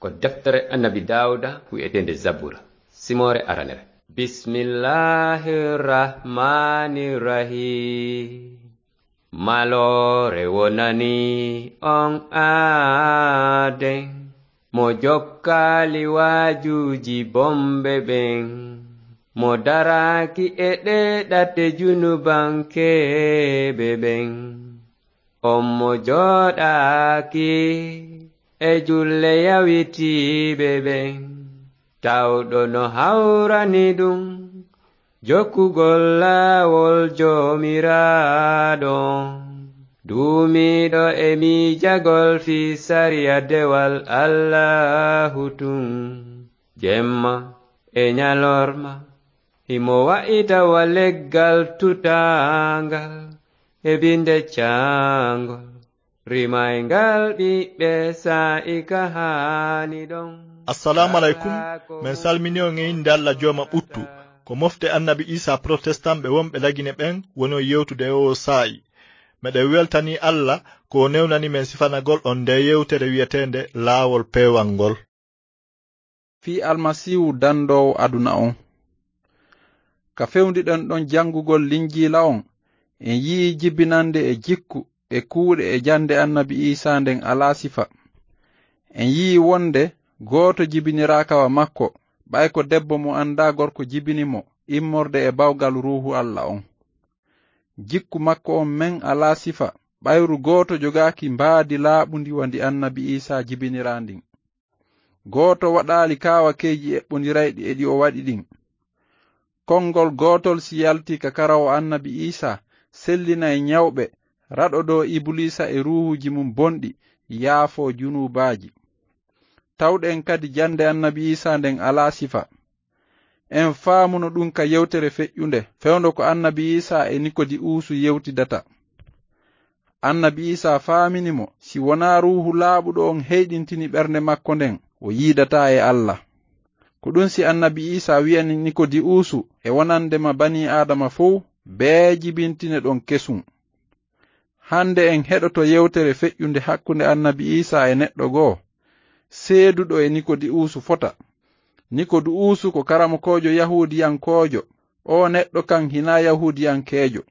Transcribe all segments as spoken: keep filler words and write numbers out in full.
Ko deftere Annabi Daawuda wi'eteende Zabura, simoore aranere. Bismillahir Rahmanir Rahim. Maloore wonani on aaden, mo jokkaali waajuuji bonɓe ɓen, mo daraaki e ɗee ɗate junubankeeɓe ɓen. On mo jooɗaaki e julle yawitiiɓe ɓen, tawɗo no hawrani ɗum jokkugol laawol Joomiraaɗo on, duumiiɗo e miijagol fii sariya dewal Allaahu tun, jemma e ɲalorma. Himo wa'ita wa leggal tutaangal e binde caangol, rimayngal ɓiɓɓe saa'i ka haani ɗon. Assalaamu alaykum. Men salmini on e innde Alla Jooma ɓuttu. Ko mofte Annabi Iisaa Protestan ɓe wonɓe Lagine ɓen woni on yewtude e oo saa'i. Meɗen weltanii Alla ko o newnani men sifanagol on ndee yewtere wi'eteende Laawol Peewal ngol. Fii Almasiihu dandoowo aduna on. Ka fewndiɗen ɗon janngugol Linjiila on, en yi'ii jibinannde e jikku e kuuɗe e jannde Annabi Iisaa nden alaa sifa. En yi'ii wonde gooto jibiniraaka wa makko, ɓay ko debbo mo anndaa gorko jibini mo, immorde e bawgal Ruuhu Alla on. Jikku makko on men alaa sifa, ɓayru gooto jogaaki mbaadi laaɓundi wa ndi Annabi Iisaa jibiniraa ndin. Gooto waɗaali kaawakeeji eɓɓondirayɗi e ɗi o waɗi ɗin. Konngol gootol si yaltii ka karawo Annabi Iisaa, sellinay ɲawɓe, raɗodoo Ibuliisa e ruuhuuji mun bonɗi, yaafoo junuubaaji. Tawɗen kadi jannde Annabi Iisaa nden alaa sifa. En faamuno ɗun ka yewtere feƴƴunde, fewndo ko Annabi Iisaa e Nikodi'uusu yewtidata. Annabi Iisaa faamini mo, si wonaa Ruuhu Laaɓuɗo on heyɗintini ɓernde makko nden, o yiidataa e Alla. Ko ɗun si Annabi Iisaa wi'ani Nikodi'uusu e wonande ma banii Aadama fow, bee jibintine ɗon kesun. Hande en heɗoto yewtere feƴƴunde hakkunde Annabi Iisaa e neɗɗo goo, seeduɗo e Nikodi'uusu fota. Nikodi'uusu ko karamokoojo Yahuudiyankoojo, oo neɗɗo kan hinaa Yahuudiyankeejo.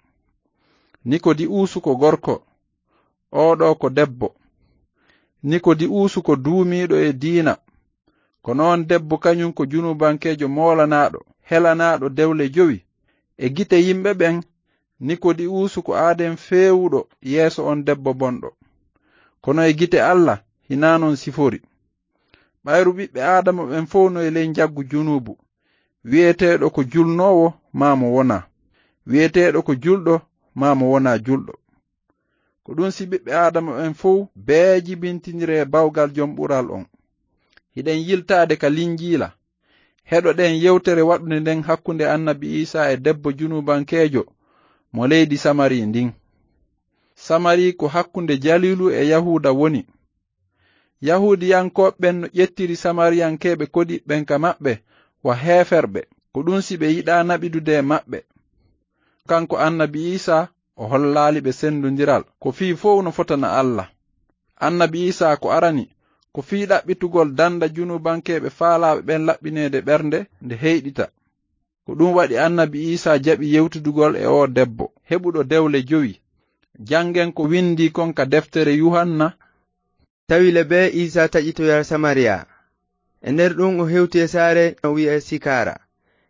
Nikodi'uusu ko gorko, oo ɗoo ko debbo. Nikodi'uusu ko duumiiɗo e diina. Kono on debbo kaɲun ko junubankeejo moolanaaɗo, helanaaɗo dewle jowi. E gite yimɓe ɓen, Nikodi'uusu ko aaden feewuɗo yeeso on debbo bonɗo. Kono e gite Alla, hinaa non sifori. Ɓayru ɓiɓɓe Aadama ɓen fow no e ley njaggu junuubu, wi'eteeɗo ko julnoowo maa mo wonaa, wi'eteeɗo ko julɗo maa mo wonaa julɗo. Ko ɗun si ɓiɓɓe Aadama ɓen fow bee jibintiniree bawgal Jom Ɓural on. Hiɗen yiltaade ka Linjiila. Heɗoɗen yewtere waɗunde nden hakkunde Annabi Iisaa e debbo junubankeejo mo leydi Samari ndin. Samari ko hakkunde Jaliilu e Yahuuda woni. Yahuudiyankooɓe ɓen no ƴettiri Samariyankeeɓe koɗiiɓe ɓen ka maɓɓe wa heeferɓe, ko ɗun si ɓe yiɗaa naɓidude e maɓɓe. Kanko Annabi Iisaa, o hollaali ɓe sendondiral, ko fii fow no fotana Alla. Annabi Iisaa ko arani, ko fii ɗaɓɓitugol danda junubankeeɓe faalaaɓe ɓen laɓɓineede ɓernde nde heyɗita. Ko ɗun waɗi Annabi Iisaa jaɓi yewtidugol e oo debbo, heɓuɗo dewle jowi. Janngen ko windii kon ka deftere Yuhanna. Tawi le bee Iisaa taƴitoyay Samariya. E nder ɗun o hewti e saare no wi'ee Sikaara,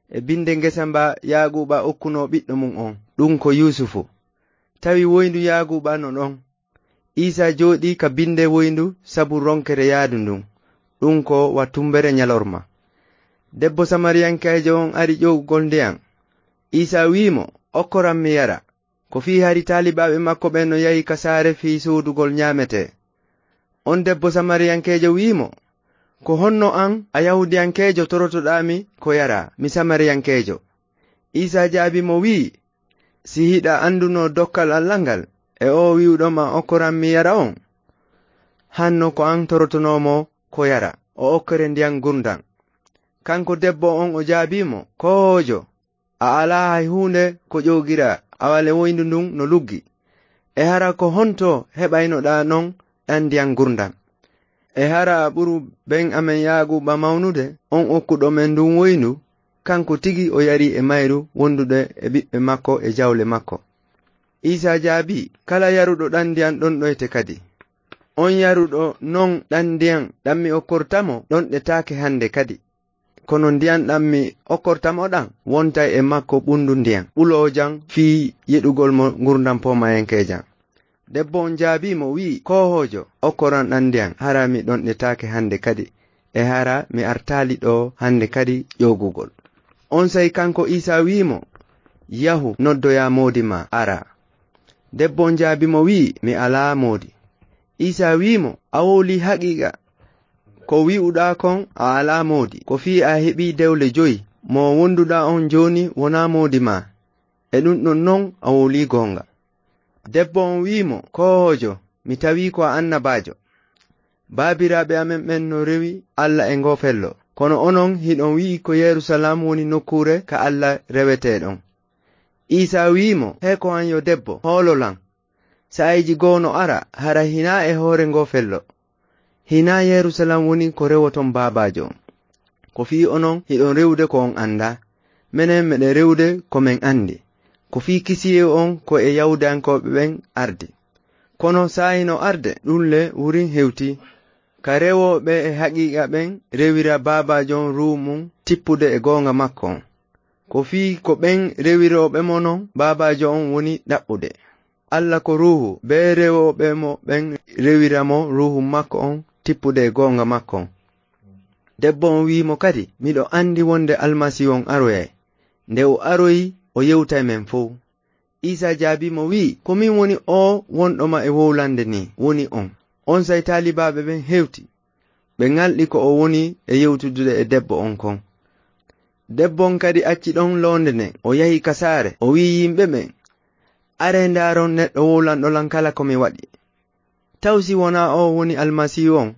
e binde ngesa mba Yaaquuba okkunoo ɓiɗɗo mun on, ɗun ko Yuusufu. Tawi woyndu Yaaquuba no ɗon. Iisaa jooɗii ka binde woyndu sabu ronkere yaadu ndun, ɗun ko wa tumbere ɲalorma. Debbo Samariyankeejo on ari ƴoogugol ndiyan. Iisaa wi'i mo, "Okkoran mi yara." Ko fii hari taalibaaɓe makko ɓen no yahi ka saare fii soodugol ɲaametee. On debbo Samariyankeejo wi'i mo, "Ko honno an, a Yahuudiyankeejo, torotoɗaa mi ko yara, mi Samariyankeejo?" Iisaa jaabii mo wi'i, "Si hiɗa anduno dokkal Alla ngal, e oo wi'uɗo ma okkoran mi yara on, hanno ko an torotonoo mo ko yara, o okkere ndiyan ngurndan." Kanko debbo on o jaabii mo, "Koojo, a alaa hay huunde ko ƴoogiraa, awa le woyndu ndun no luggi. E hara ko honto heɓaynoɗaa non ɗan ndiyan ngurndan?" E hara a ɓuru ben amen Yaaquuba mawnude, on okkuɗo men ndun woyndu? Kanko tigi o yari e mayru wondude e ɓiɓɓe makko e jawle makko. Iisaa jaabii, "Kala yaruɗo ɗan ndiyan ɗonɗoyte kadi. On yaruɗo non ɗan ndiyan ɗan mi okkorta mo, ɗonɗetaake hande kadi. Kono ndiyan ɗan mi okkorta mo ɗan wontay e makko ɓundu ndiyan ɓuloojan fii yeɗugol mo ngurndan poomayankeejan." Debbo on jaabii mo, wi'i, "Koohoojo, okkoran ɗan ndiyan, hara mi ɗonɗetaake hande kadi, e hara mi artaali ɗoo hande kadi ƴoogugol." Onsay kanko Iisaa wi'i mo, "Yahu, noddoyaa moodi maa, araa." Debbo on jaabii mo, wi'i, "Mi alaa moodi." Iisaa wi'i mo, "A wowlii haqiiqa. Ko wi'uɗaa kon, a alaa moodi. Ko fii a heɓii dewle jowi, mo wonduɗaa on jooni wonaa moodi maa. E ɗun ɗon non a wowlii goonga." Debbo on wi'i mo, "Koohoojo, mi tawii ko a annabaajo. Baabiraaɓe amen ɓen no rewi Alla e ngoo fello. Kono onon hiɗon wi'i ko Yerusalaam woni nokkuure ka Alla rewetee ɗon." Iisaa wi'i mo, "Hee ko an yo debbo, hoolo lan. Saa'iiji goo no ara, hara hinaa e hoore ngoo fello. Hinaa Yerusalaam woni ko rewoton Baabaajo on. Ko fii onon hiɗon rewude ko on andaa. Menen meɗen rewude ko men andi. Ko fii kisiyee on ko e Yahuudiyankooɓe ɓen ardi. Kono saa'i no arde, ɗun le wurin hewtii. Ka rewooɓe e haqiiqa ɓen rewira Baabaajo on Ruuhu mun tippude e goonga makko on. Ko fii ko ɓen rewirooɓe mo non Baabaajo on woni ɗaɓɓude. Alla ko Ruuhu, bee rewooɓe mo ɓen rewira mo Ruuhu makko on tippude e goonga makko on." Debbo on wi'i mo kadi, "Miɗo andi wonde Almasiihu on aroyay. Nde o aroyi, o yewtay men fow." Iisaa jaabii mo, wi'i, "Ko min woni oo wonɗo ma e wowlande nii, woni on." Onsay taalibaaɓe ɓen hewti. Ɓe ŋalɗi ko o woni e yewtudude e debbo on kon. Debbo on kadi acci ɗon loonde nden, o yahi ka saare, o wi'i yimɓe ɓen, "Aree ndaaron neɗɗo wowlanɗo lan kala ko mi waɗi. Taw si wonaa oo woni Almasiihu on?"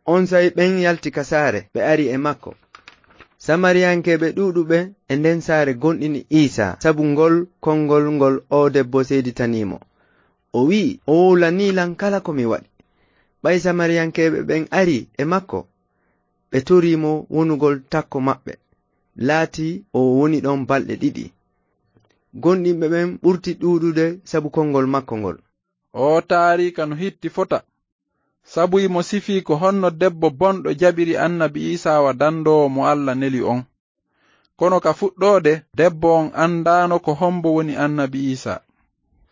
Onsay ɓen yalti ka saare, ɓe ari e makko. Samariyankeeɓe ɗuuɗuɓe e nden saare gomɗini Iisaa sabu ngol konngol ngol oo debbo seeditanii mo. O wi'i, "O wowlanii lan kala ko mi waɗi." Ɓay Samariyankeeɓe ɓen ari e makko, ɓe torii mo wonugol takko maɓɓe. Laatii o woni ɗon balɗe ɗiɗi. Gomɗinɓe ɓen ɓurti ɗuuɗude sabu konngol makko ngol. Oo taariika no hitti fota, sabu himo sifii ko honno debbo bonɗo jaɓiri annabi Iisaa wa dandoowo mo Alla neli on. Kono ka fuɗɗoode, debbo on andaano ko hombo woni annabi Iisaa.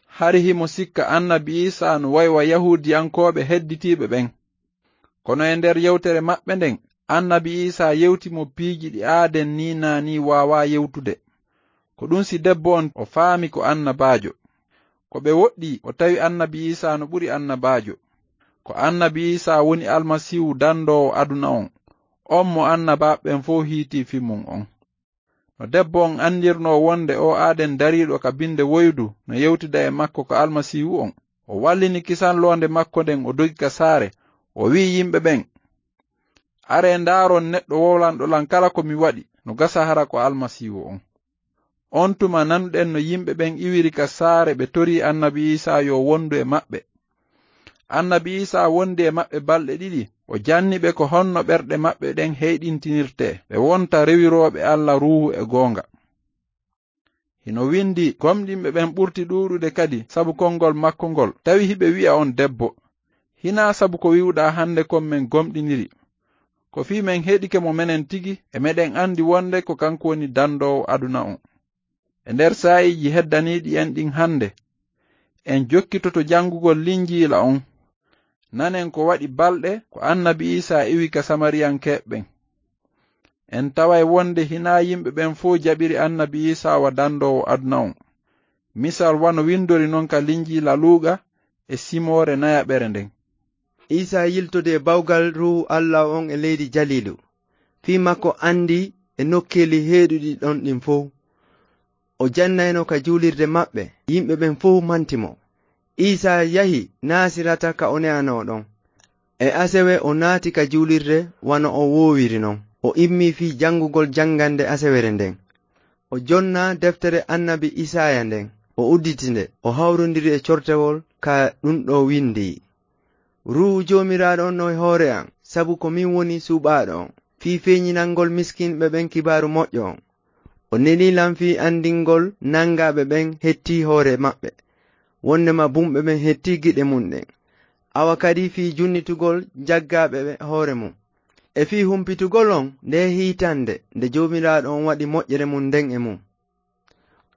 Hari himo sikka annabi Iisaa no way wa Yahuudiyankooɓe hedditiiɓe ɓen. Kono e nder yewtere maɓɓe nden, annabi Iisaa yewti mo piiji ɗi aaden nii naa nii waawaa yewtude. Ko ɗun si debbo on o faami ko annabaajo. Ko ɓe woɗɗii, o tawi annabi Iisaa no ɓuri annabaajo. Ko annabi Iisaa woni Almasiihu dandoowo aduna on, on mo annabaaɓe ɓen fow hiitii fii mun on. No debbo on andirnoo wonde oo aaden dariiɗo ka binde woydu no yewtida e makko ko Almasiihu on, o wallini kisan loonde makko nden, o dogi ka saare, o wi'i yimɓe ɓen, "Aree ndaaron neɗɗo wowlanɗo lan kala ko mi waɗi, no gasa hara ko Almasiihu on." On tuma nanuɗen no yimɓe ɓen iwiri ka saare, ɓe torii annabi Iisaa yo wondu e maɓɓe. Annabi Iisaa wondi e maɓɓe balɗe ɗiɗi, o janni ɓe ko honno ɓerɗe maɓɓe ɗen heyɗintinirtee, ɓe wonta rewirooɓe Alla Ruuhu e goonga. Hino windi, "Gomɗinɓe ɓen ɓurti ɗuuɗude kadi sabu konngol makko ngol, tawi hiɓe wi'a on debbo." Hinaa sabu ko wi'uɗaa hande kon men gomɗiniri. Ko fii men heɗike mo menen tigi, e meɗen andi wonde ko kanko woni dandoowo aduna on. E nder saa'iiji heddaniiɗi en ɗin hande, en jokkitoto jangugol Linjiila on. Nanen ko waɗi balɗe ko annabi Iisaa iwi ka Samariyankeeɓe ɓen. En taway wonde hinaa yimɓe ɓen fow jaɓiri annabi Iisaa wa dandoowo aduna on. Misal wano windori non ka Linjiila Luuqa e simoore nayaɓere nden. Iisaa yiltodee bawgal Ruuhu Alla on e leydi Jaliilu. Fii makko andi e nokkeeli heeɗuɗi ɗon ɗin fow. O jannayno ka juulirde maɓɓe, yimɓe ɓen fow manti mo. Iisaa yahi Naasirata ka o ne'anoo ɗon. E asewe o naati ka juulirde wano o woowiri non. O immii fii jangugol jangande asewere nden. O jonnaa deftere annabi Isaaya nden. O udditi nde, o hawrondiri e cortewol ka ɗun ɗoo windii, "Ruuhu Joomiraaɗo on no e hoore an, sabu ko min woni suɓaaɗo on, fii feeñinangol miskinɓe ɓen kibaaru moƴƴo on. O neli lan fii andingol nangaaɓe ɓen hetti hoore maɓɓe, wondema bumɓe ɓen hetti giɗe mun ɗen. Awa kadi fii junnitugol jaggaaɓe ɓe hoore mun. E fii humpitugol on nde hiitande nde Joomiraaɗo on waɗi moƴƴere mun nden e mun.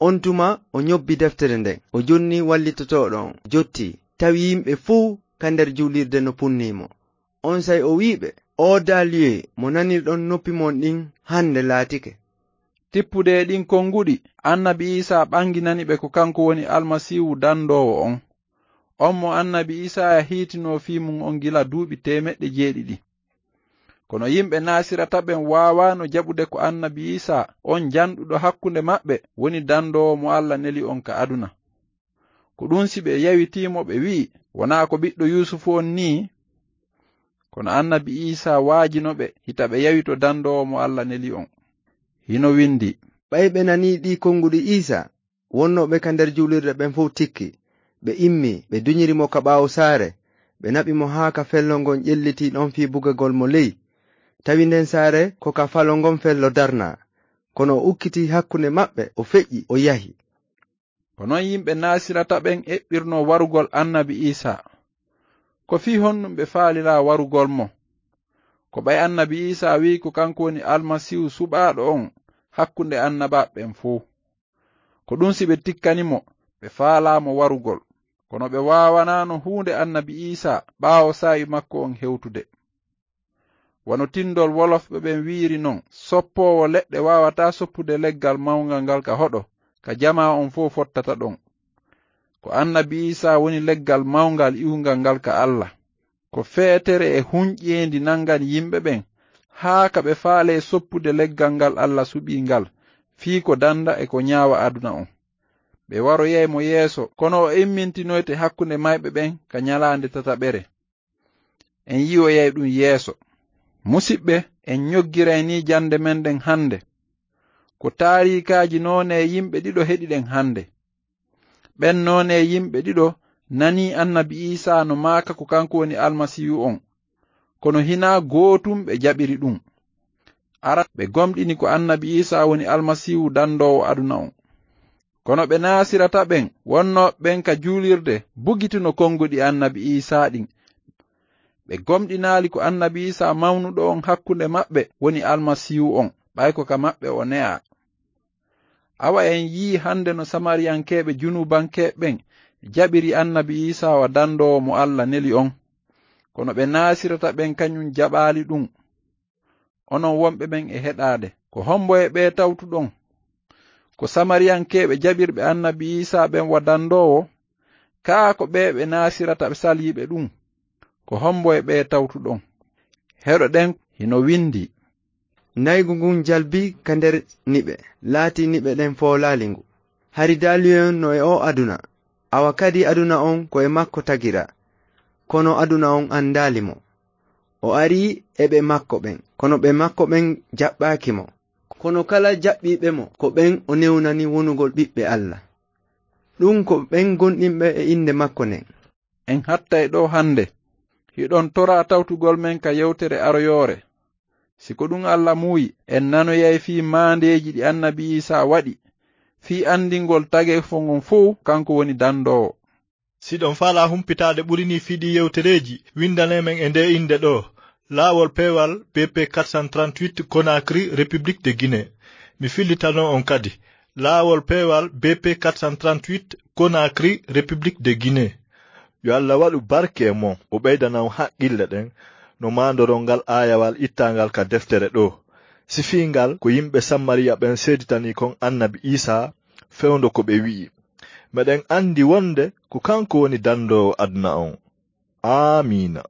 On tuma o ñobbi deftere nden, o jonni wallitotooɗo on, jotti, tawi yimɓe fuu ka nder juulirde no punnii mo. Onsay o wi'i ɓe, "Oo Daaliyee mo nanirɗon noppi mon ɗin hande laatike." Tippude e ɗin konguɗi, annabi Iisaa ɓanginani ɓe ko kanko woni Almasiihu dandoowo on. On mo annabi Iisaa hiitinoo fii mun on gila duuɓi teemeɗɗe jeeɗiɗi. Kono yimɓe Naasirata ɓen waawaano jaɓude ko annabi Iisaa on janɗuɗo hakkunde maɓɓe woni dandoowo mo Alla neli on ka aduna. Ko ɗun si ɓe yawitii mo, ɓe wi'i, "Wonaa ko ɓiɗɗo Yuusufu on nii?" Kono annabi Iisaa waajino ɓe, hita ɓe yawito dandoowo mo Alla neli on. Hino windi, "Ɓay ɓe nanii ɗii konguɗi Iisaa, wonnooɓe ka nder juulirde ɓen fow tikki. Ɓe immi, ɓe duñiri mo ka ɓaawo saare, ɓe naɓi mo haa ka fello ngon ƴellitii ɗon fii bugagol mo ley. Tawi nden saare ko ka falo ngon fello darnaa. Kono o ukkitii hakkunde maɓɓe, o feƴƴi, o yahi." Ko non yimɓe Naasirata ɓen eɓɓirnoo warugol annabi Iisaa. Ko fii honɗun ɓe faaliraa warugol mo? Ko ɓay annabi Iisaa wi'i ko kanko woni Almasiihu suɓaaɗo on hakkunde annabaaɓe ɓen fow. Ko ɗun si ɓe tikkani mo, ɓe faalaa mo warugol. Kono ɓe waawanaano huunde annabi Iisaa ɓaawo saa'i makko on hewtude. Wano tindol wolofɓe ɓen wi'iri non, soppoowo leɗɗe waawataa soppude leggal mawngal ngal ka hoɗo, ka jamaa on fow fottata ɗon. Ko annabi Iisaa woni leggal mawngal iwungal ngal ka Alla. Ko feetere e hunƴeendi nangani yimɓe ɓen, haa ka ɓe faalee soppude leggal ngal Alla suɓii ngal, fii ko danda e ko ñaawa aduna on. Ɓe waroyay mo yeeso, kono o immintinoyte hakkunde mayɓe ɓen ka ñalaande tataɓere. En yi'oyay ɗun yeeso. Musiɓɓe, en ñoggiray nii jannde men ɗen hannde. Ko taariikaaji noonee yimɓe ɗiɗo heɗiɗen hannde. Ɓen noonee yimɓe ɗiɗo nanii annabi Iisaa no maaka ko kanko woni Almasiihu on, kono hinaa gootun ɓe jaɓiri ɗun. Aran, ɓe gomɗini ko annabi Iisaa woni Almasiihu dandoowo aduna on. Kono ɓe Naasirata ɓen, wonnooɓe ɓen ka juulirde, bugituno konguɗi annabi Iisaa ɗin. Ɓe gomɗinaali ko annabi Iisaa mawnuɗo on hakkunde maɓɓe woni Almasiihu on, ɓay ko ka maɓɓe o ne'aa. Awa en yi'ii hannde no Samariyankeeɓe junubankeeɓe ɓen jaɓiri annabi Iisaa wa dandoowo mo Alla neli on. Kono ɓe Naasirata ɓen kañun jaɓaali ɗun. Onon wonɓe ɓen e heɗaade, ko hombo e ɓee tawtuɗon? Ko Samariyankeeɓe jaɓirɓe annabi Iisaa ɓen wa dandoowo? Kaa ko ɓee ɓe Naasirata ɓe saliiɓe ɗun? Ko hombo e ɓee tawtuɗon? Heɗoɗen, hino windi, "Naygu ngun jalbi ka nder niɓe, laati niɓe ɗen foolaali ngu. Hari daaliyoyon no e oo aduna, awa kadi aduna on ko e makko tagira, kono aduna on andaali mo. O ari e ɓe makko ɓen, kono ɓe makko ɓen jaɓɓaaki mo. Kono kala jaɓɓiiɓe mo, ko ɓen o newnani wonugol ɓiɓɓe Alla. Ɗun ko ɓen gonɗinɓe e innde makko nden." En hattay ɗoo hannde. Hiɗon toraa tawtugol men ka yewtere aroyoore. Si ko ɗun Alla muuyi, en nanoyay fii maandeeji ɗi annabi Iisaa waɗi, fii andingol tageefo ngon fow kanko woni dandoowo. Si ɗon faalaa humpitaade ɓuri nii fii ɗii yewtereeji, windanee men e ndee innde ɗoo, Laawol Peewal B P quatre cent trente-huit, Conakry, République de Guinée. Mi fillitanoo on kadi, Laawol Peewal B P quatre cent trente-huit, Conakry, République de Guinée. Yo Alla waɗu barke e mon, o ɓeydana on haqqille ɗen, no maandoron ngal aayawal ittaangal ka deftere ɗoo. Sifii ngal ko yimɓe Samariya ɓen seeditanii kon annabi Iisaa fewndo ko ɓe wi'i. Meɗen andi wonde ko kanko woni dandoowo aduna on. Aamiina.